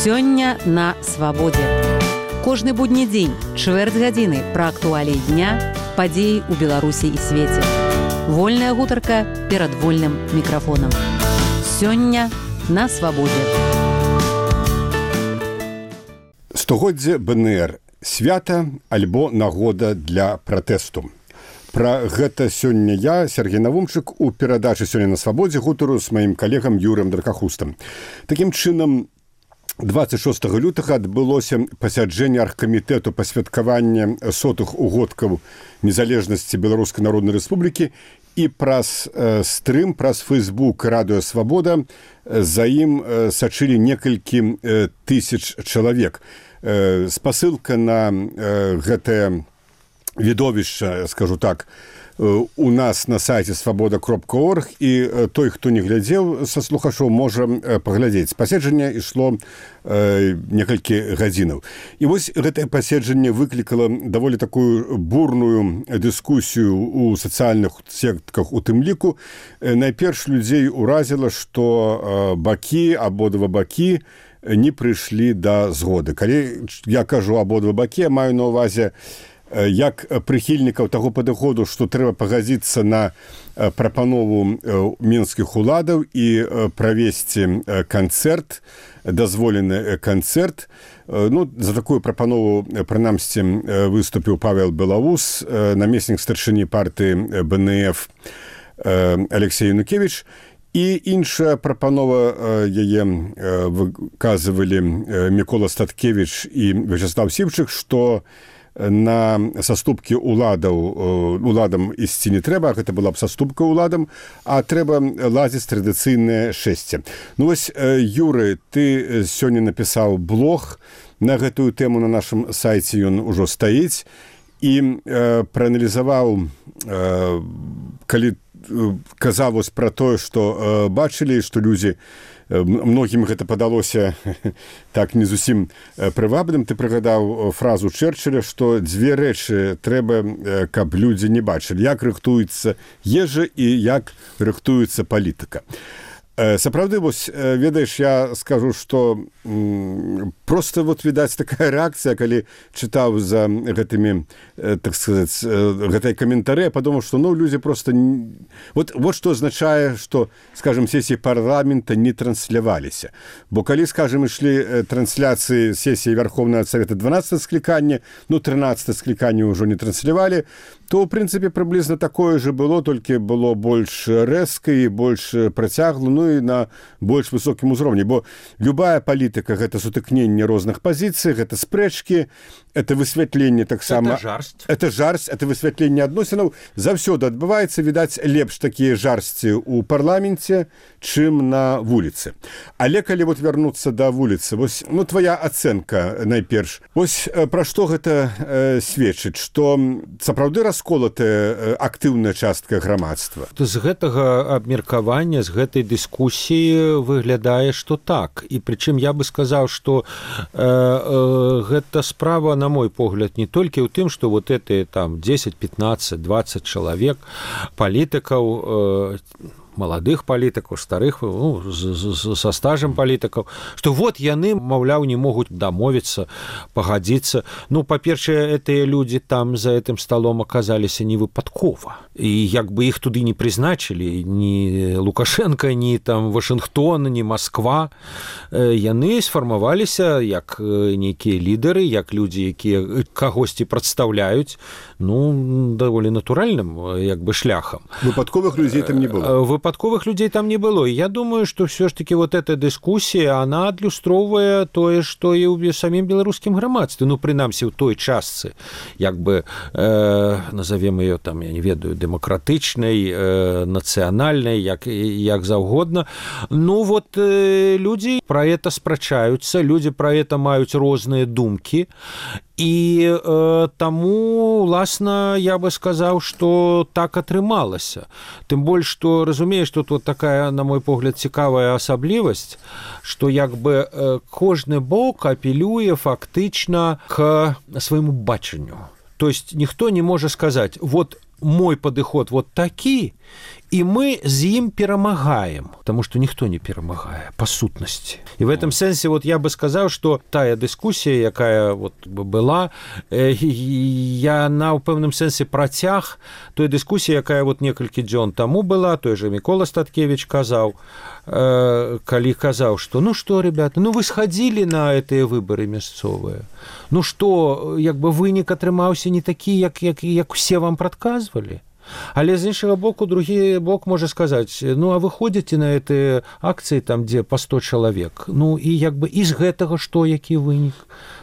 Сёння на свабодзе. Кожны будні дзень, чвэрць гадзіны пра актуаліі дня, падзеі ў Беларусі і свеце. Вольная гутарка перад вольным мікрафонам. Сёння на свабодзе. Стагоддзе БНР. Свята альбо нагода для пратэсту. Пра гэта сёння я, Сергей Навумчык, у перадачы «Сёння на свабодзе» гутару з маім калегам Юрыем Дракахустам. Такім чынам, 26 лютага адбылося пасяджэнне аргкамітэту па святкаванні 100-х угодкаў незалежнасці Беларускай Народнай Рэспублікі, і праз стрым, праз Фэйсбук «Радыё Свабода» за ім сачылі некалькі тысяч чалавек. Спасылка на гэтае відовішча, скажу так, у нас на сайце свабода.орг, і той, хто не глядзеў са слухачоў, можа паглядзець. Паседжанне ішло некалькі гадзінаў. І вось гэтае паседжанне выклікала даволі такую бурную дыскусію ў сацыяльных сетках, у тым ліку. Найперш людзей уразіла, што бакі, абодва бакі не прыйшлі да згоды. Калі я кажу абодва бакі, я маю на ўвазе як прыхільнікаў таго падыходу, што трэба пагадзіцца на прапанову мінскіх уладаў і правесці канцэрт, дазволены канцэрт. За такую прапанову, прынамсі, выступіў Павел Белаус, намеснік старшыні партыі БНФ Алексей Янукевич. І іншая прапанова, яе выказывалі Мікола Статкевич і Вячеслав Сівчык, што на саступкі уладам ісці не трэба, гэта была б саступка уладам, а трэба ладзіць традыцыйнае шэсце. Вось, Юры, ты сёння напісаў блог на гэтую тэму, на нашым сайце ён ужо стаіць, і прааналізаваў, калі казаў вось пра тое, што бачылі, што людзі, многім гэта падалося так не зусім прывабным. Ты прыгадаў фразу Чэрчыля, што дзве рэчы трэба, каб людзі не бачылі: як рыхтуецца ежа і як рыхтуецца палітыка. Сапраўды, вось, ведаеш, я скажу, што проста вот відаць такая рэакцыя, калі чытаў за гэтымі, так сказаць, гэтай каментары, я падумаў, што людзі проста... Вот што азначае, што, скажем, сесіі парламента не трансляваліся. Бо калі, скажем, ішлі трансляцыі сесіі Верховнага Савета 12 склікання, 13 склікання ўжо не транслявалі, то, ў прынцыпе, прыблізна такое же было, толькі было больш рэзка і больш працягла, і на больш высокім узроўні. Бо любая палітыка — гэта сутыкненне розных пазіцый, гэта спрэчкі, это высвятленне таксама... Это жарсць, это высвятленне адносінаў. Заўсёды адбываецца, відаць, лепш такія жарсці ў парламенце, чым на вуліцы. Але калі вот вярнуцца да вуліцы, вось, твоя ацэнка найперш. Вось пра што гэта сведчыць, што сапраўды расколатая актыўная частка грамадства? З гэтага абмеркавання, з гэтай дыскусіі выглядае, што так. І прычым я бы сказаў, што гэта справа, на мой погляд, не толькі ў тым, што вот гэтыя там 10, 15, 20 чалавек палітыкаў, маладых палітыкаў, старых, са стажам палітыкаў, што вот яны, маўляў, не могуць дамовіцца, пагадзіцца. Па-першае, гэтыя людзі там за гэтым сталом аказаліся не выпадкова. І як бы іх туды не прызначылі, ні Лукашенка, ні там Вашынгтон, ні Масква. Яны сфармаваліся як нейкія лідары, як людзі, якія кагосьці прадстаўляюць, даволі натуральным як бы шляхам. Выпадковых людзей там не было. Выпадковых людзей там не было. І я думаю, што ўсё ж такі вот эта дыскусія, она адлюстроўвае тое, што і ў самім беларускім грамадстве. Прынамсі, ў той частцы, як бы, назовем ее там, я не ведаю, дэмакратычнай, нацыянальнай, як заўгодна. Людзі пра гэта спрачаюцца, людзі пра гэта маюць розныя думкі. І таму, уласна, я бы сказаў, што так атрымалася. Тым больш, што, разумееш, тут вот такая, на мой погляд, цікавая асаблівасць, што як бы кожны бок апелюе фактычна к свайму бачанню. То есть ніхто не можа сказаць, вот мой падыход вот такі, і мы з ім перамагаем, потому что ніхто не перамагае па сутнасці. І в этом сэнсе вот я бы сказаў, што тая дыскусія, якая вот была, яна ў пэўным сэнсе працяг той дыскусіі, якая вот некалькі дзён таму была, той же Мікола Статкевич казаў, калі казаў, што ну што, ребята, ну вы схадзілі на гэтыя выбары мясцовыя, ну што, як бы вынік атрымаўся не такі, як усе вам прадказвалі. Але з іншага боку, другі бок можа сказаць, ну а вы ходзіце на гэтыя акцыі там, дзе па 100 чалавек, ну і як бы і з гэтага што, які вынік?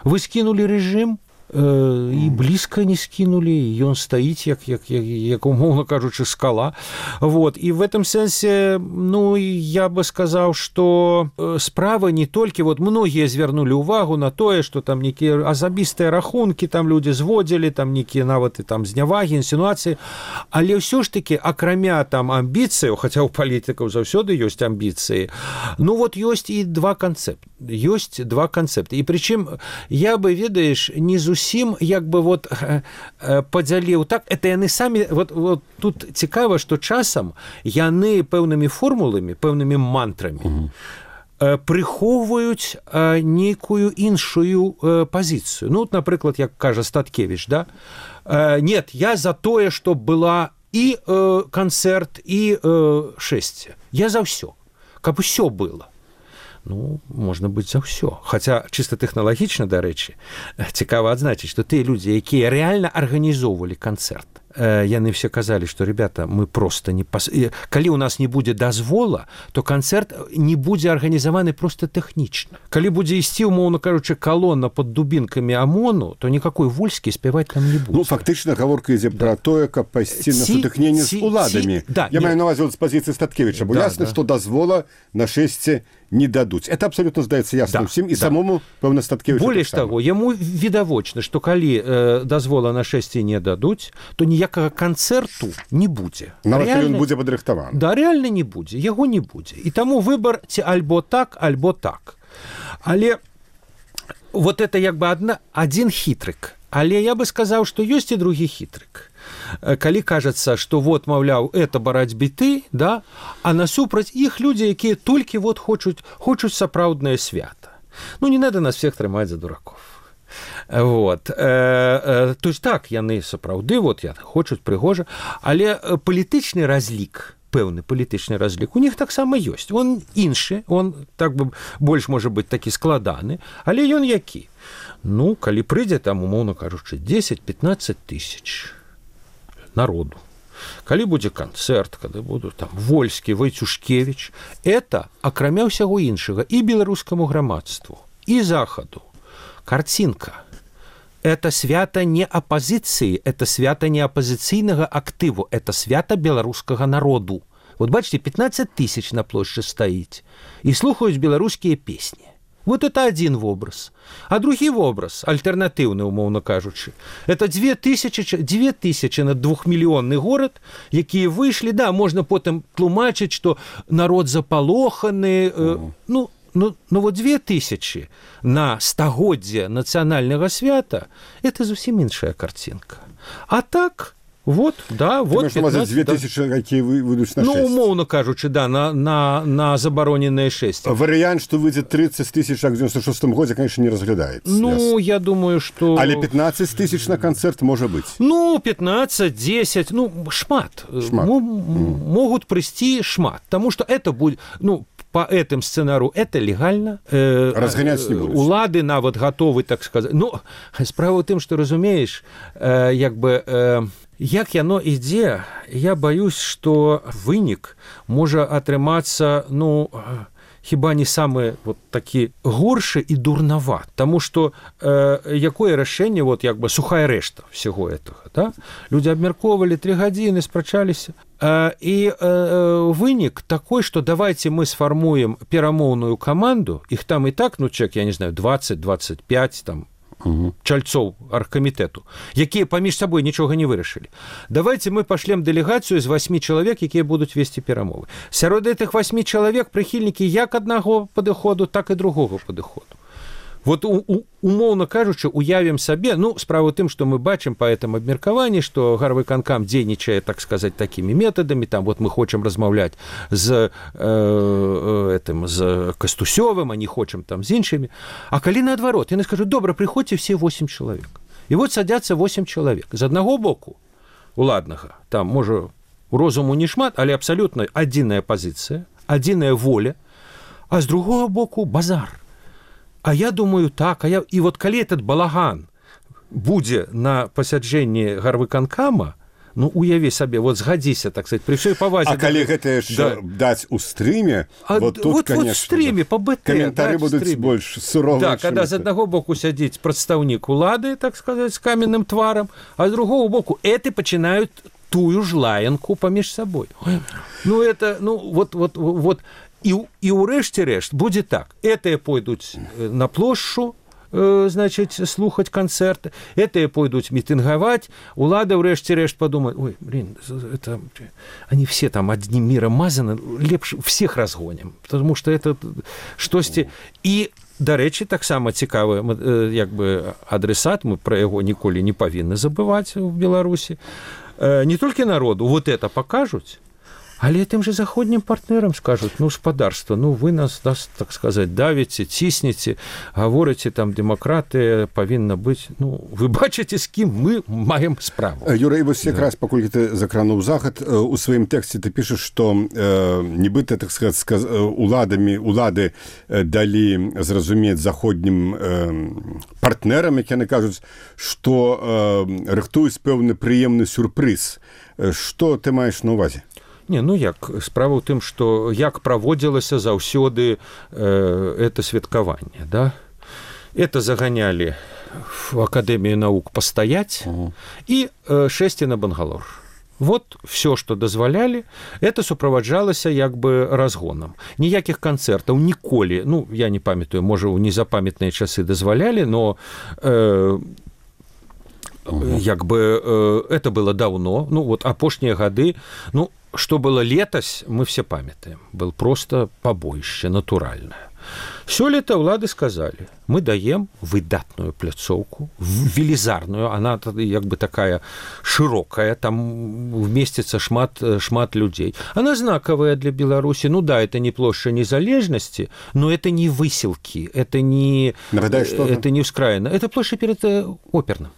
Вы скінулі рэжым, і блізка не скінулі, ён стаіць як умоўна кажучы скала. Вот. І в этом сэнсе, ну я бы сказаў, што справа не толькі, вот многія звярнулі ўвагу на тое, што там нейкія асабістыя рахункі там людзі зводзілі, там нейкія нават і там знявагі, інсінуацыі, але ўсё ж такі акрамя там амбіцыяў, хаця ў палітыкаў заўсёды ёсць амбіцыі, ну вот ёсць і два канцэпты. І прычым я бы, ведаеш, не зусім як бы вот падзяліў так, это яны самі, вот тут цікава, што часам яны пэўнымі формуламі, пэўнымі мантрамі прыхоўваюць нейкую іншую пазіцыю. Ну, напрыклад, як кажа Статкевич, да? Нет, я за тое, што была і канцэрт, і шэсце. Я за ўсё, каб усё было. Ну, можна быць за ўсё. Хаця, чыста тэхналагічна, дарэчы, цікава адзначыць, што тыя людзі, якія рэальна арганізоўвалі канцэрт, яны все казалі, што, ребята, мы просто не... Калі ў нас не будзе дазвола, то канцэрт не будзе арганізаваны просто тэхнічна. Калі будзе ісці, умоўна кажучы, калона пад дубінкамі ОМОНу, то никакой Вольскі спяваць там не будзе. Ну, фактычна, гаворка ідзе пра тое, каб пайсці на сутыкненне з уладамі. Я маю на ўвазе з пазіцыі Статкевіча, бо ясна, што дазвола на шэсце не дадуць. Это абсолютно здаецца ясным всім, і самому, пэўна, Статкевічу. Болей таго, яму відавочна, што калі дазвола на шэсце не дадуць, то ніякага канцэрту не будзе. Нават калі ён будзе падрыхтаваны. Да, рэальна не будзе, яго не будзе. І таму выбар ці альбо так, альбо так. Але вот это як бы адзін хітрык. Але я бы сказаў, што ёсць і другі хітрык. Калі кажацца, што вот, маўляў, это барацьбы ты, да, а насупраць іх людзі, якія толькі вот хочуць сапраўднае свята. Ну, не надо нас всех трымаць за дураков. Вот. То есть так, яны сапраўды, вот, хочуць прыгожа, але палітычны разлік, пэўны палітычны разлік у них таксама ёсць. Он іншы, он так бы больш можа быць такі складаны, але ён які? Ну, калі прыйдзе там, умоўна кажучы, 10-15 тысяч народу. Калі будзе канцэрт, калі будуць там Вольскі, Войцюшкевич, это, акрамя ўсяго іншага, і беларускаму грамадству, і захаду, картинка. Это свята не апозіцыі, это свята не апозіцыйнага актыву, это свята беларускага народу. Вот бачите, 15 тысяч на плошчы стаіць і слухаюць беларускія песні. Вот это один образ. А другі образ, альтэрнатыўны, умоўна кажучы, это 2000 на 2-мільённы горад, якія выйшлі, да, можна потым тлумачыць, што народ запалоханы, ну вот 2000 на стагоддзе нацыянальнага свята, это зусім іншая картинка. А так... Вот, да, вот 15, 2000, да. Якія выйдуць на 6. Ну, умоўна кажучы, да, на забароненае 6. Варыянт, што выйдзе 30 тысяч в 96 годзе, конечно, не разглядаецца. Ну, я думаю, што... Але 15 тысяч на канцэрт можа быць. Ну, 15, 10, ну, шмат. Могуць прыйсці шмат. Таму што это будзе... Ну, по этим сценару это легально. Разганяць не будуць. Улады нават гатовы, так сказаць. Ну, справа ў тым, што, разумееш, як бы... Як яно ідзе, я баюсь, што вынік можа атрымацца, ну, хіба не самы вот такі горшы і дурнават. Таму што якое рашэнне, вот як бы сухая рэшта всего этого, да? Людзі абмяркоўвалі 3 гадзіны, спрачаліся. І вынік такой, што давайте мы сфармуем перамоўную каманду, іх там і так, ну, чек, я не знаю, 20-25 там, чальцоў аргкамітэту, якія паміж сабой нічога не вырашылі. Давайте мы пашлем дэлегацыю з 8 чалавек, якія будуць весці перамовы. Сярод гэтых 8 чалавек прыхільнікі як аднаго падыходу, так і другога падыходу. Вот умоўна кажучы, уявім сабе, ну, справа ў тым, што мы бачым па гэтым абмеркаванні, што гарвыканкам дзейнічае, так сказаць, такімі метадамі, там вот мы хочам размаўляць з Кастусёвым, а не хочам там з іншымі. А калі наадварот, яны скажуць, добра, прыходзьце все 8 чалавек. І вот садзяцца 8 чалавек. З аднаго боку уладнага, там, можа, розуму не шмат, але абсалютна адзіная пазіцыя, адзіная воля, а з другого боку базар. А я думаю, так, і вот калі этот балаган будзе на пасяджэнні гарвыканкама, ну, уяві сабе, вот згадзіся, так сказать, при всёй павазе... А калі гэта яшчэ даць у стрыме, вот тут, конечно... Вот в стрыме, по БТ, каментары будуць больш суровыя. Да, когда з аднаго боку сядзіць прадстаўнік улады, так сказать, з каменным тварам, а з другого боку эты пачынаюць тую ж лаянку паміж сабой. Ну, это, ну, вот... І ўрэшце рэшт будзе так. Этыя пойдуць на плошчу, значит, слухаць канцэрты, этыя пойдуць мітынгаваць, улада ўрэшце рэшт падумае, ой, блин, это... они все там одним миром мазаны, лепш всех разгоним, потому что это штосьці... І, дарэчы, таксама цікавы як бы адресат, мы пра яго ніколі не павінны забываць у Беларусі. Не толькі народу вот это пакажуць, але тым же заходнім партнерам скажуць, ну, спадарства, ну, вы нас, так сказать, давіце, ціснеце, гаворыце, там, дэмакратыя павінна быць, ну, вы бачыце, з кім мы маем справу. Юрый, вось якраз, паколькі ты закрануў захад, у сваім тэксце ты пішаш, што нібыта, так сказать, улады далі зразумець заходнім партнерам, як яны кажуць, што рыхтуюць пэўны прыемны сюрпрыз. Што ты маеш на ўвазе? Не, ну як, справа ў тым, што як праводзілася заўсёды это святкаванне, да? Это заганялі в Акадэмію навук пастаяць і шэсці на Бангалор. Вот все, што дазвалялі, это суправаджалася як бы разгонам. Ніякіх канцэртаў ніколі, ну, я не памятаю, можа, у незапамятныя часы дазвалялі, но... як бы это было давно, ну, вот апошнія гады, ну, что было летась, мы все памятаем. Был просто побоище натуральное. Сёлета улады сказали, мы даем выдатную пляцоўку, велізарную, она як бы такая широкая, там вместится шмат людей. Она знаковая для Беларуси. Ну да, это не площадь незалежности, но это не выселки, это не вскраина. Это площадь перед оперным.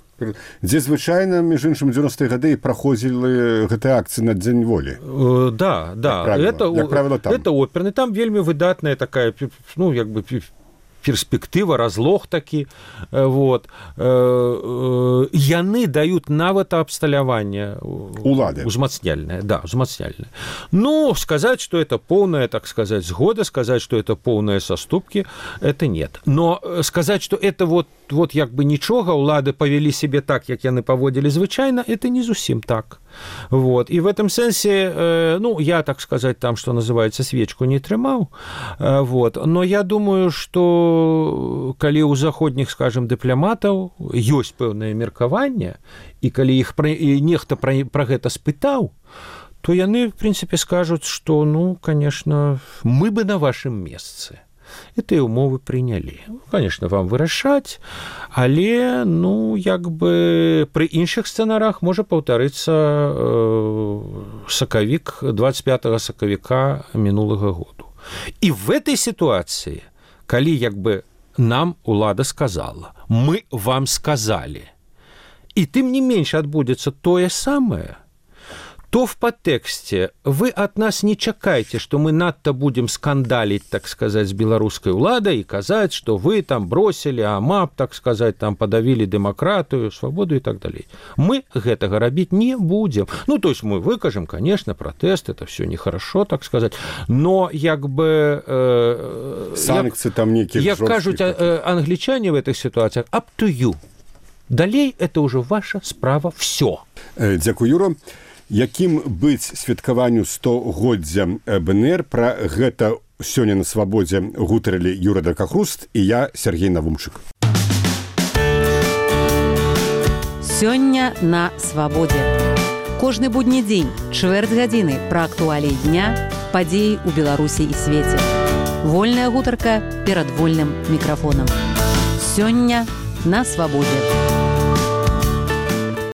Дзе звычайна, між іншым, 90-е гады праходзілі гэтыя акцыі на Дзень волі. Да, это оперны. Там вельмі выдатная такая, ну, як бы перспектыва, разлог такі. Вот. Яны даюць нават абсталяванне узмацняльнае. Да, узмацняльнае. Ну, сказать, что это полная, так сказать, сгода, сказать, что это полные соступки, это нет. Но сказать, что это вот як бы нічога, улады павялі себе так, як яны паводзілі звычайна, это не зусім так. Вот. И в этом сенсе, ну, я, так сказать, там, что называется, свечку не трымаў. Вот. Но я думаю, что калі у заходніх, скажем, дыпламатаў ёсць пэўнае меркаванне, і калі іх нехта пра гэта спытаў, то яны, в принципе, скажуць, что, ну, конечно, мы бы на вашем месцы гэтыя умовы прынялі. Конечно, вам вырашаць, але, ну, як бы пры іншых сцэнарах можа паўтарыцца сакавік, 25 сакавіка мінулага году. І в этой ситуации, калі як бы нам улада сказала, мы вам сказали, и тым не менш адбудзецца тое самае, то в подтексте вы от нас не чакайте, что мы надто будем скандалить, так сказать, с белорусской уладой и казать, что вы там бросили АМАП, так сказать, там подавили демократию, свободу и так далее. Мы гэтага рабіць не будем. Ну, то есть мы выкажем, конечно, протест, это все нехорошо, так сказать, но як бы... санкции там некие жесткие. Як кажуть англичане в этих ситуациях, up to you. Далей это уже ваша справа, все. Дзякуй, Юра. Якім быць святкаванню 100годдзя БНР, пра гэта сёння на свабодзе гутарылі Юра Дракахруст і я, Сергей Навумчык. Сёння на свабодзе. Кожны будні дзень, чвэрць гадзіны пра актуаліі дня, падзеі ў Беларусі і свеце. Вольная гутарка перад вольным мікрафонам. Сёння на свабодзе.